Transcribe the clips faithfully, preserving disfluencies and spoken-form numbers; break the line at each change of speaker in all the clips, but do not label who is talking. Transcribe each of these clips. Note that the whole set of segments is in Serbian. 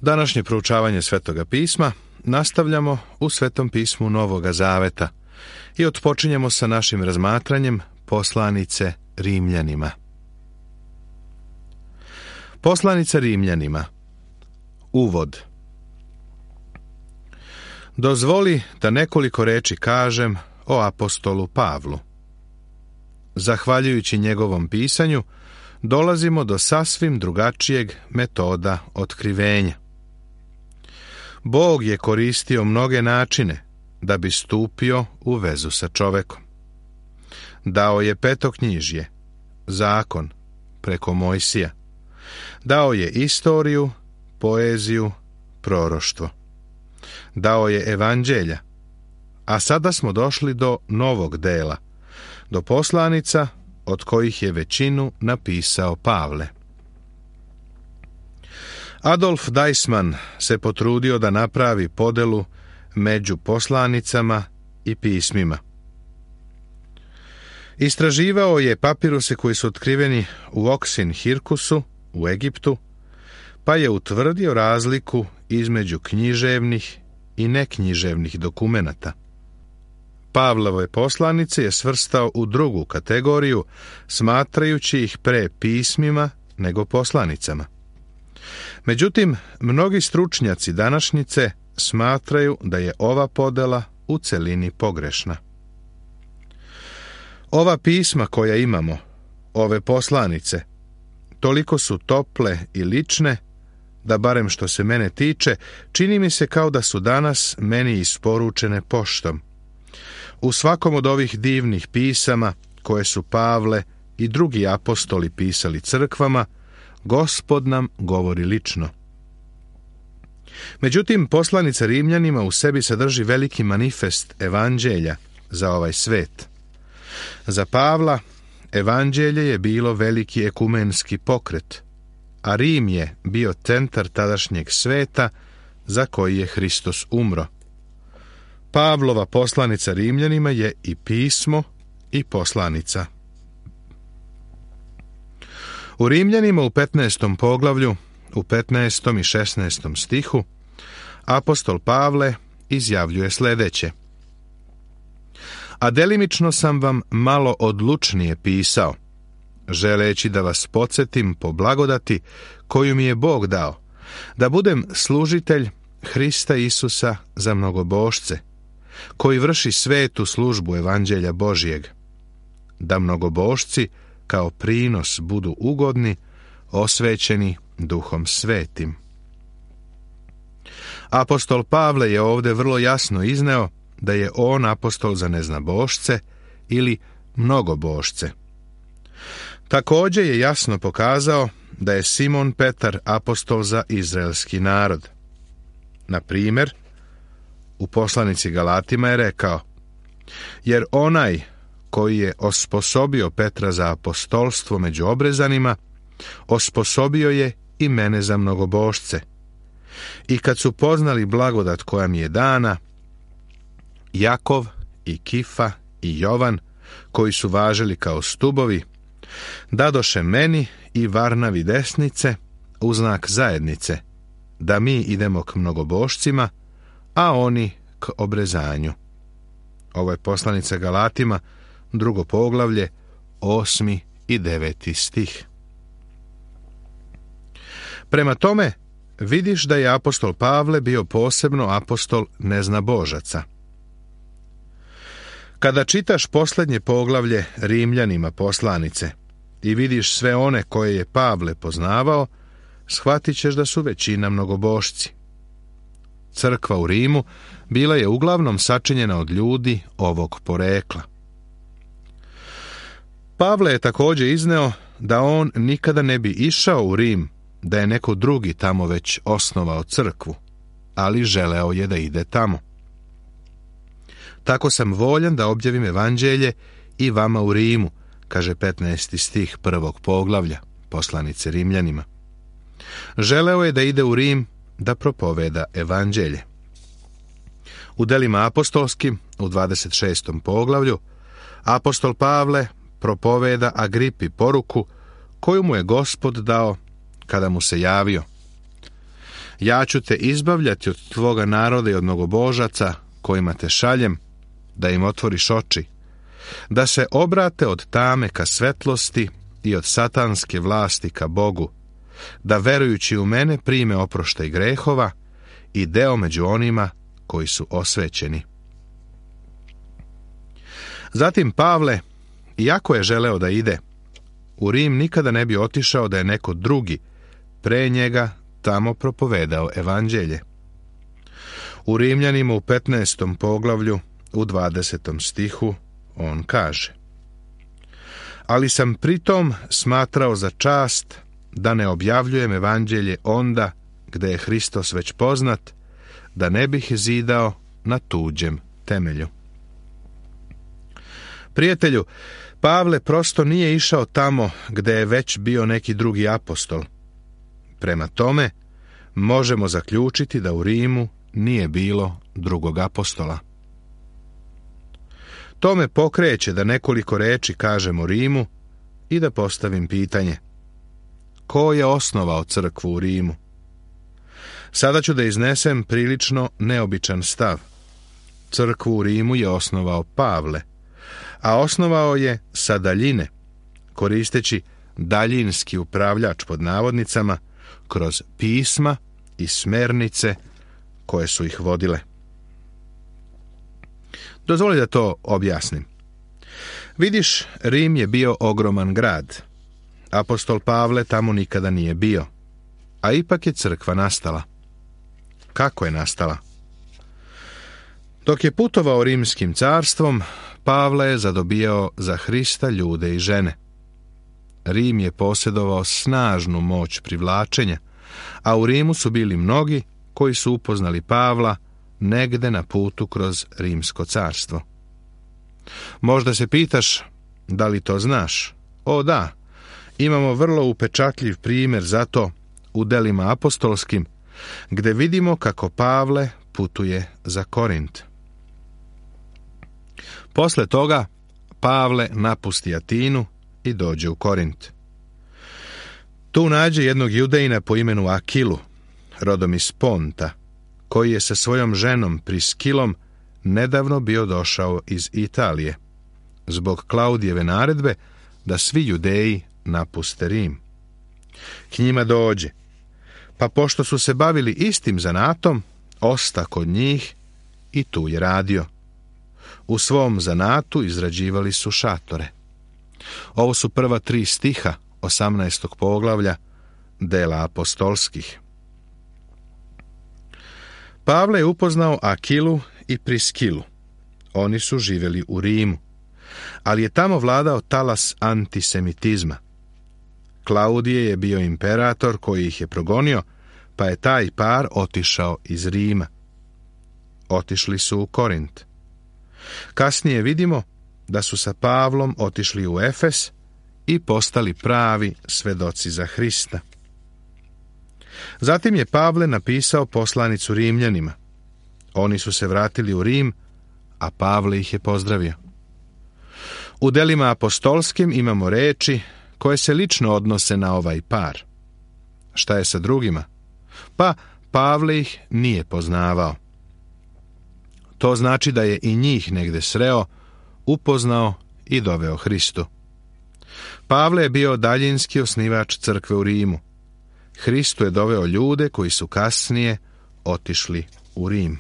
Današnje proučavanje Svetoga pisma nastavljamo u Svetom pismu Novoga Zaveta i otpočinjemo sa našim razmatranjem poslanice Rimljanima. Poslanica Rimljanima. Uvod. Dozvoli da nekoliko reči kažem o apostolu Pavlu. Zahvaljujući njegovom pisanju, dolazimo do sasvim drugačijeg metoda otkrivenja. Bog je koristio mnoge načine da bi stupio u vezu sa čovekom. Dao je petoknjižje, zakon, preko Mojsija. Dao je istoriju, poeziju, proroštvo. Dao je evanđelja, a sada smo došli do novog dela, do poslanica od kojih je većinu napisao Pavle. Adolf Deissmann se potrudio da napravi podelu među poslanicama i pismima. Istraživao je papiruse koji su otkriveni u Oksin-Hirkusu u Egiptu, pa je utvrdio razliku između književnih i neknjiževnih dokumenata. Pavlove poslanice je svrstao u drugu kategoriju, smatrajući ih pre pismima nego poslanicama. Međutim, mnogi stručnjaci današnjice smatraju da je ova podela u celini pogrešna. Ova pisma koja imamo, ove poslanice, toliko su tople i lične, da barem što se mene tiče, čini mi se kao da su danas meni isporučene poštom. U svakom od ovih divnih pisama, koje su Pavle i drugi apostoli pisali crkvama, Gospod nam govori lično. Međutim, poslanica Rimljanima u sebi sadrži veliki manifest evanđelja za ovaj svet. Za Pavla, evanđelje je bilo veliki ekumenski pokret, a Rim je bio centar tadašnjeg sveta za koji je Hristos umro. Pavlova poslanica Rimljanima je i pismo i poslanica. U Rimljanima u petnaestom poglavlju, u petnaestom i šesnaestom stihu, apostol Pavle izjavljuje sljedeće: A delimično sam vam malo odlučnije pisao, želeći da vas podsjetim po blagodati koju mi je Bog dao, da budem služitelj Hrista Isusa za mnogobošce, koji vrši svetu službu evanđelja Božijeg, da mnogobošci kao prinos budu ugodni, osvećeni Duhom Svetim. Apostol Pavle je ovdje vrlo jasno izneo da je on apostol za neznabošce ili mnogobošce. Također je jasno pokazao da je Simon Petar apostol za izraelski narod. Na primjer, u poslanici Galatima je rekao: Jer onaj koji je osposobio Petra za apostolstvo među obrezanima, osposobio je i mene za mnogobošce. I kad su poznali blagodat koja mi je dana, Jakov i Kifa i Jovan, koji su važili kao stubovi, dadoše meni i Varnavi desnice u znak zajednice, da mi idemo k mnogobošcima, a oni k obrezanju. Ovo je poslanica Galatima, drugo poglavlje, osmi i deveti stih. Prema tome, vidiš da je apostol Pavle bio posebno apostol neznabožaca. Kada čitaš posljednje poglavlje Rimljanima poslanice i vidiš sve one koje je Pavle poznavao, shvatit ćeš da su većina mnogobošci. Crkva u Rimu bila je uglavnom sačinjena od ljudi ovog porekla. Pavle je također izneo da on nikada ne bi išao u Rim, da je neko drugi tamo već osnovao crkvu, ali želeo je da ide tamo. Tako sam voljan da objavim evanđelje i vama u Rimu, kaže petnaesti stih prvog poglavlja poslanice Rimljanima. Želeo je da ide u Rim da propoveda evanđelje. U delima apostolskim, u dvadeset šestom poglavlju, apostol Pavle propoveda Agripi poruku koju mu je Gospod dao kada mu se javio. Ja ću te izbavljati od tvoga naroda i od mnogobožaca kojima te šaljem, da im otvoriš oči, da se obrate od tame ka svetlosti i od satanske vlasti ka Bogu, da verujući u mene prime oproštaj grehova i deo među onima koji su osvećeni. Zatim Pavle, iako je želeo da ide, u Rim nikada ne bi otišao da je neko drugi pre njega tamo propovedao evanđelje. U Rimljanima u petnaestom poglavlju, u dvadesetom stihu, on kaže: ali sam pritom smatrao za čast da ne objavljujem evanđelje onda gde je Hristos već poznat, da ne bih zidao na tuđem temelju. Prijatelju, Pavle prosto nije išao tamo gde je već bio neki drugi apostol. Prema tome, možemo zaključiti da u Rimu nije bilo drugog apostola. To me pokreće da nekoliko reči kažem o Rimu i da postavim pitanje: ko je osnovao crkvu u Rimu? Sada ću da iznesem prilično neobičan stav. Crkvu u Rimu je osnovao Pavle, a osnovao je sa daljine, koristeći daljinski upravljač pod navodnicama, kroz pisma i smernice koje su ih vodile. Dozvoli da to objasnim. Vidiš, Rim je bio ogroman grad. Apostol Pavle tamo nikada nije bio, a ipak je crkva nastala. Kako je nastala? Dok je putovao rimskim carstvom, Pavle je zadobijao za Hrista ljude i žene. Rim je posjedovao snažnu moć privlačenja, a u Rimu su bili mnogi koji su upoznali Pavla negde na putu kroz rimsko carstvo. Možda se pitaš, da li to znaš? O da, imamo vrlo upečatljiv primjer za to u delima apostolskim, gde vidimo kako Pavle putuje za Korint. Posle toga Pavle napusti Atinu i dođe u Korint. Tu nađe jednog Judejina po imenu Akilu, rodom iz Ponta, koji je sa svojom ženom Priskilom nedavno bio došao iz Italije, zbog Klaudijeve naredbe da svi Judeji napuste Rim. K njima dođe, pa pošto su se bavili istim zanatom, osta kod njih i tu je radio. U svom zanatu izrađivali su šatore. Ovo su prva tri stiha osamnaestog poglavlja dela apostolskih. Pavle je upoznao Akilu i Priskilu. Oni su živjeli u Rimu, ali je tamo vladao talas antisemitizma. Klaudije je bio imperator koji ih je progonio, pa je taj par otišao iz Rima. Otišli su u Korint. Kasnije vidimo da su sa Pavlom otišli u Efes i postali pravi svedoci za Hrista. Zatim je Pavle napisao poslanicu Rimljanima. Oni su se vratili u Rim, a Pavle ih je pozdravio. U delima apostolskim imamo reči koje se lično odnose na ovaj par. Šta je sa drugima? Pa Pavle ih nije poznavao. To znači da je i njih negde sreo, upoznao i doveo Hristu. Pavle je bio daljinski osnivač crkve u Rimu. Hristu je doveo ljude koji su kasnije otišli u Rim.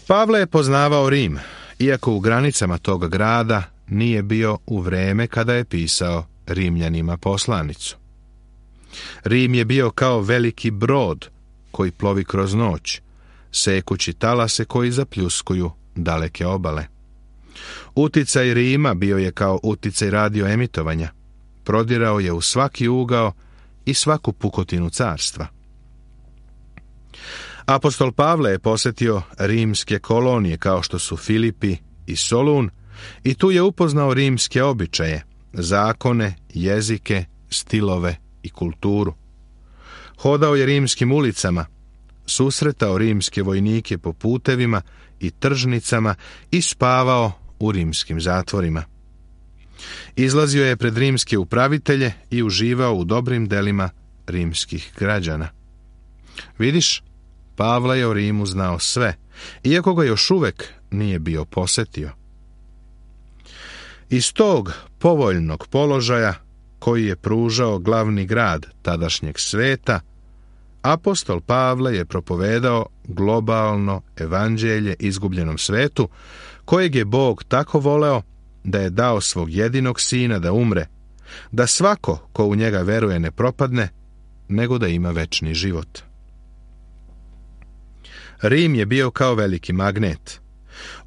Pavle je poznavao Rim, iako u granicama tog grada nije bio u vreme kada je pisao Rimljanima poslanicu. Rim je bio kao veliki brod koji plovi kroz noć, sekući talase koji zapljuskuju daleke obale. Uticaj Rima bio je kao uticaj radioemitovanja. Prodirao je u svaki ugao i svaku pukotinu carstva. Apostol Pavle je posjetio rimske kolonije kao što su Filipi i Solun i tu je upoznao rimske običaje, zakone, jezike, stilove i kulturu. Hodao je rimskim ulicama, susretao rimske vojnike po putevima i tržnicama i spavao u rimskim zatvorima. Izlazio je pred rimske upravitelje i uživao u dobrim delima rimskih građana. Vidiš, Pavle je o Rimu znao sve, iako ga još uvek nije bio posetio. Iz tog povoljnog položaja koji je pružao glavni grad tadašnjeg sveta, apostol Pavle je propovedao globalno evanđelje izgubljenom svetu, kojeg je Bog tako voleo da je dao svog jedinog sina da umre, da svako ko u njega veruje ne propadne, nego da ima večni život. Rim je bio kao veliki magnet.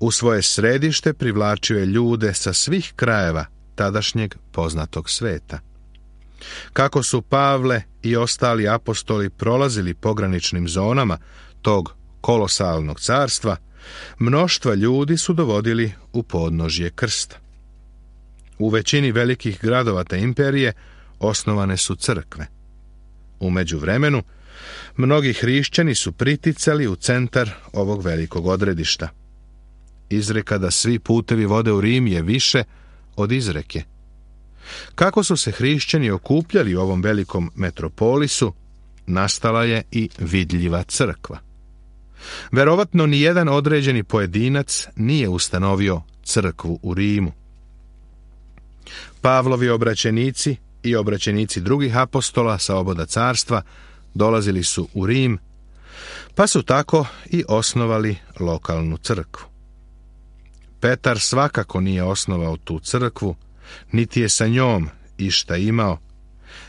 U svoje središte privlačio je ljude sa svih krajeva tadašnjeg poznatog sveta. Kako su Pavle i ostali apostoli prolazili pograničnim zonama tog kolosalnog carstva, mnoštva ljudi su dovodili u podnožje krsta. U većini velikih gradova te imperije osnovane su crkve. U međuvremenu, mnogi hrišćani su priticali u centar ovog velikog odredišta. Izreka da svi putevi vode u Rim je više od izreke. Kako su se hrišćani okupljali u ovom velikom metropolisu, nastala je i vidljiva crkva. Verovatno ni jedan određeni pojedinac nije ustanovio crkvu u Rimu. Pavlovi obraćenici i obraćenici drugih apostola sa oboda carstva dolazili su u Rim, pa su tako i osnovali lokalnu crkvu. Petar svakako nije osnovao tu crkvu, niti je sa njom išta imao,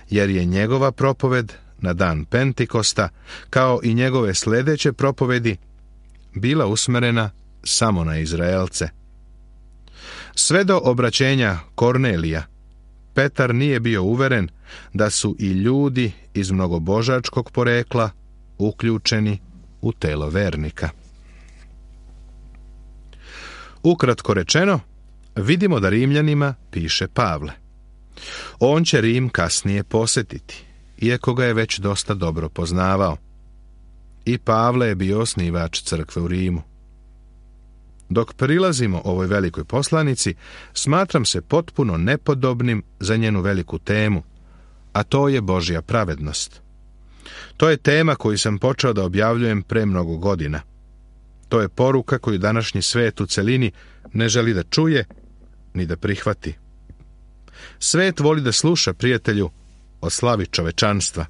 jer je njegova propoved na dan Pentikosta, kao i njegove sljedeće propovedi, bila usmerena samo na Izraelce. Sve do obraćenja Kornelija, Petar nije bio uveren da su i ljudi iz mnogobožačkog porekla uključeni u telo vernika. Ukratko rečeno, vidimo da Rimljanima piše Pavle. On će Rim kasnije posjetiti, iako ga je već dosta dobro poznavao. I Pavle je bio osnivač crkve u Rimu. Dok prilazimo ovoj velikoj poslanici, smatram se potpuno nepodobnim za njenu veliku temu, a to je Božja pravednost. To je tema koju sam počeo da objavljujem pre mnogo godina. To je poruka koju današnji svet u celini ne želi da čuje ni da prihvati. Svet voli da sluša, prijatelju, o slavi čovečanstva.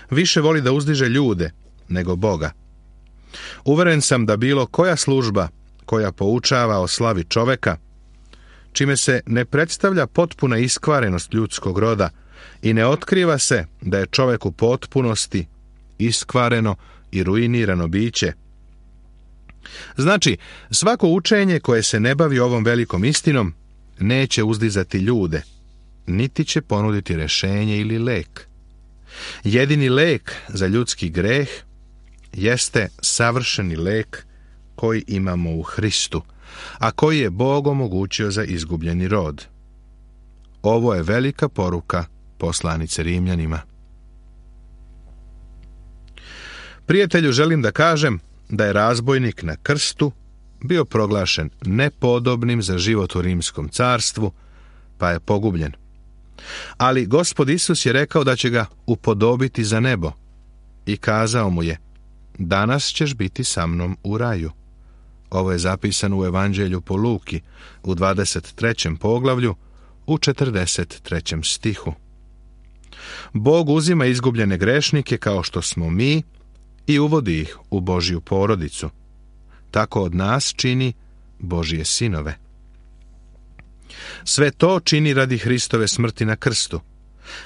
Više voli da uzdiže ljude nego Boga. Uveren sam da bilo koja služba koja poučava o slavi čoveka, čime se ne predstavlja potpuna iskvarenost ljudskog roda i ne otkriva se da je čovek u potpunosti iskvareno i ruinirano biće. Znači, svako učenje koje se ne bavi ovom velikom istinom neće uzdizati ljude, niti će ponuditi rešenje ili lek. Jedini lek za ljudski greh jeste savršeni lek koji imamo u Hristu, a koji je Bog omogućio za izgubljeni rod. Ovo je velika poruka poslanice Rimljanima. Prijatelju, želim da kažem da je razbojnik na krstu bio proglašen nepodobnim za život u rimskom carstvu, pa je pogubljen. Ali Gospod Isus je rekao da će ga upodobiti za nebo i kazao mu je: danas ćeš biti sa mnom u raju. Ovo je zapisano u Evanđelju po Luki u dvadeset trećem poglavlju u četrdeset trećem stihu. Bog uzima izgubljene grešnike kao što smo mi i uvodi ih u Božju porodicu. Tako od nas čini Božje sinove. Sve to čini radi Hristove smrti na krstu,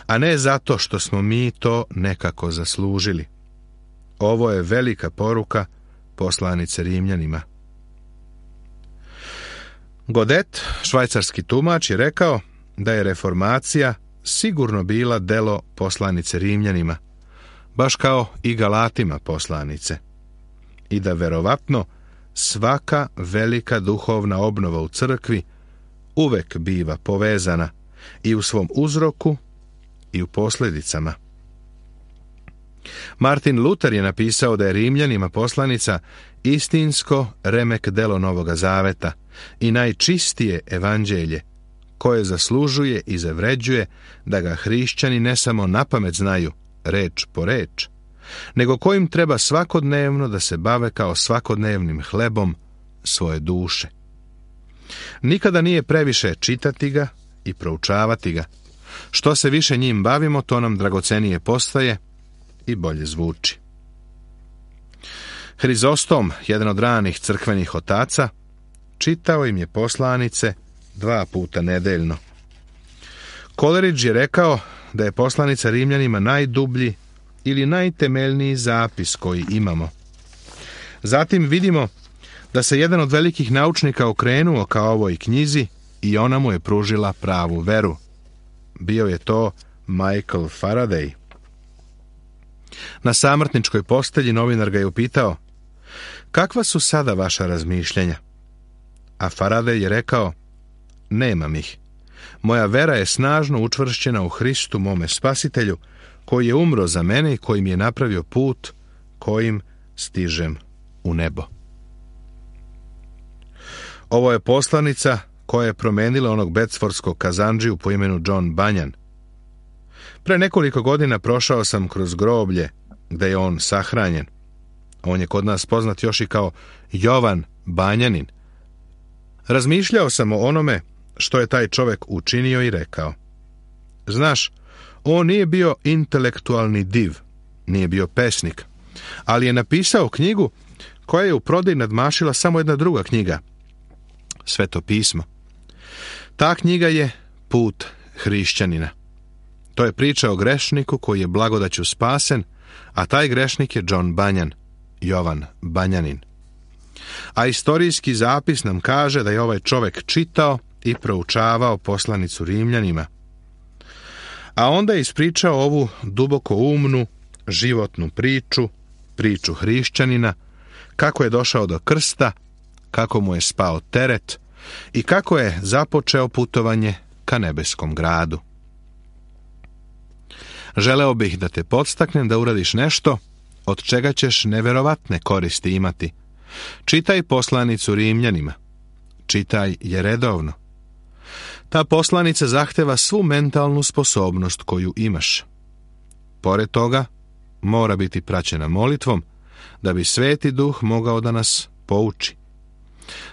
a ne zato što smo mi to nekako zaslužili. Ovo je velika poruka poslanice Rimljanima. Godet, švajcarski tumač, je rekao da je reformacija sigurno bila delo poslanice Rimljanima, baš kao i Galatima poslanice, i da verovatno svaka velika duhovna obnova u crkvi uvek biva povezana i u svom uzroku i u posljedicama. Martin Luther je napisao da je Rimljanima poslanica istinsko remek delo Novoga Zaveta i najčistije evanđelje koje zaslužuje i zavređuje da ga hrišćani ne samo napamet znaju, reč po reč, nego kojim treba svakodnevno da se bave kao svakodnevnim hlebom svoje duše. Nikada nije previše čitati ga i proučavati ga. Što se više njim bavimo, to nam dragocenije postaje i bolje zvuči. Hrizostom, jedan od ranih crkvenih otaca, čitao im je poslanice dva puta nedeljno. Coleridge je rekao da je poslanica Rimljanima najdublji ili najtemeljniji zapis koji imamo. Zatim vidimo da se jedan od velikih naučnika okrenuo ka ovoj knjizi i ona mu je pružila pravu veru. Bio je to Michael Faraday. Na samrtničkoj postelji novinar ga je upitao: kakva su sada vaša razmišljenja? A Faraday je rekao: nemam ih. Moja vera je snažno učvršćena u Hristu, mome spasitelju, koji je umro za mene i koji mi je napravio put kojim stižem u nebo. Ovo je poslanica koja je promenila onog becforskog kazandžiju po imenu John Bunyan. Pre nekoliko godina prošao sam kroz groblje gde je on sahranjen. On je kod nas poznat još i kao Jovan Banjanin. Razmišljao sam o onome što je taj čovek učinio i rekao: znaš, on nije bio intelektualni div, nije bio pesnik, ali je napisao knjigu koja je u prodaji nadmašila samo jedna druga knjiga, Sveto pismo. Ta knjiga je Put hrišćanina. To je priča o grešniku koji je blagodaću spasen, a taj grešnik je John Bunyan, Jovan Banjanin. A istorijski zapis nam kaže da je ovaj čovek čitao i proučavao poslanicu Rimljanima. A onda je ispričao ovu duboko umnu, životnu priču, priču hrišćanina, kako je došao do krsta, kako mu je spao teret i kako je započeo putovanje ka nebeskom gradu. Želeo bih da te podstaknem da uradiš nešto od čega ćeš neverovatne koristi imati. Čitaj poslanicu Rimljanima. Čitaj je redovno. Ta poslanica zahteva svu mentalnu sposobnost koju imaš. Pored toga, mora biti praćena molitvom da bi Sveti Duh mogao da nas pouči.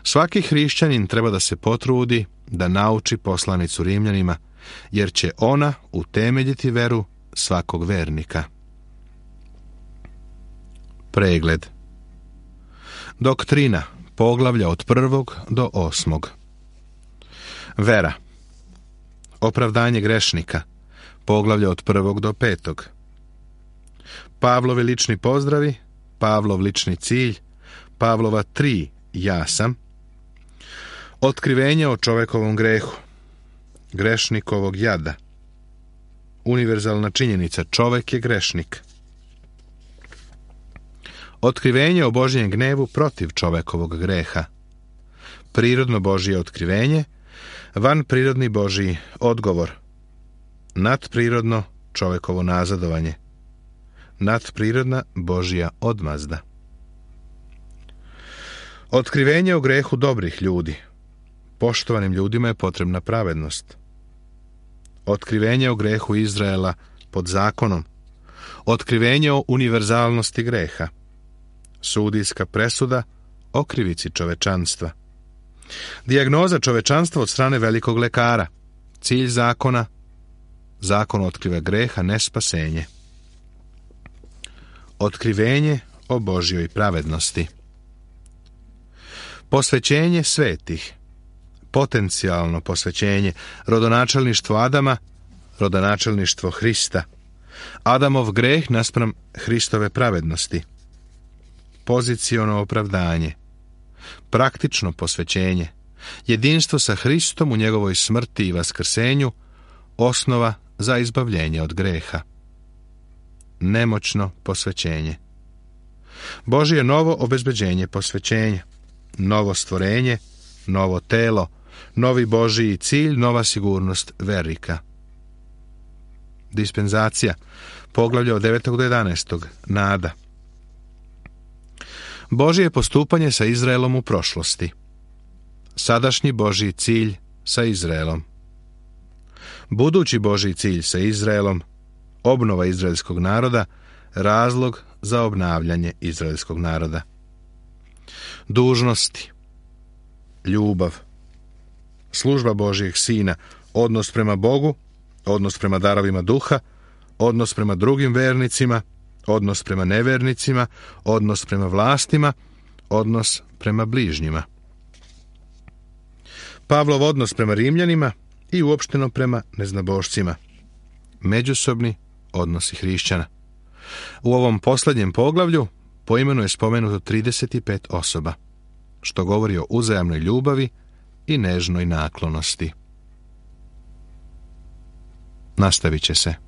Svaki hrišćanin treba da se potrudi da nauči poslanicu Rimljanima, jer će ona utemeljiti veru svakog vernika. Pregled. Doktrina, poglavlja od prvog do osmog. Vera. Opravdanje grešnika, poglavlja od prvog do petog. Pavlovi lični pozdravi, Pavlov lični cilj, Pavlova tri ja sam. Otkrivenje o čovekovom grehu, grešnikovog jada. Univerzalna činjenica, čovek je grešnik. Otkrivenje o Božjem gnevu protiv čovekovog greha. Prirodno Božje otkrivenje, vanprirodni Božji odgovor. Nadprirodno čovekovo nazadovanje. Nadprirodna Božja odmazda. Otkrivenje o grehu dobrih ljudi. Poštovanim ljudima je potrebna pravednost. Otkrivenje o grehu Izraela pod zakonom. Otkrivenje o univerzalnosti greha. Sudijska presuda o krivici čovečanstva. Dijagnoza čovečanstva od strane velikog lekara. Cilj zakona. Zakon otkriva greha, ne spasenje. Otkrivenje o Božjoj pravednosti. Posvećenje svetih. Potencijalno posvećenje. Rodonačelništvo Adama, rodonačelništvo Hrista. Adamov greh naspram Hristove pravednosti. Poziciono opravdanje. Praktično posvećenje. Jedinstvo sa Hristom u njegovoj smrti i vaskrsenju, osnova za izbavljenje od greha. Nemoćno posvećenje. Božje novo obezbeđenje posvećenja. Novo stvorenje, novo telo, novi Božji cilj, nova sigurnost vernika. Dispenzacija, poglavlje od devetog do jedanaestog. Nada. Božje postupanje sa Izraelom u prošlosti. Sadašnji Božji cilj sa Izraelom. budući Božji cilj sa Izraelom, obnova izraelskog naroda, razlog za obnavljanje izraelskog naroda. Dužnosti, ljubav, služba Božjeg Sina, odnos prema Bogu, odnos prema darovima duha, odnos prema drugim vernicima, odnos prema nevernicima, odnos prema vlastima, odnos prema bližnjima. Pavlov odnos prema Rimljanima i uopšteno prema neznabošcima. Međusobni odnosi hrišćana. U ovom posljednjem poglavlju po imenu je spomenuto trideset pet osoba, što govori o uzajamnoj ljubavi i nežnoj naklonosti. Nastavit će se.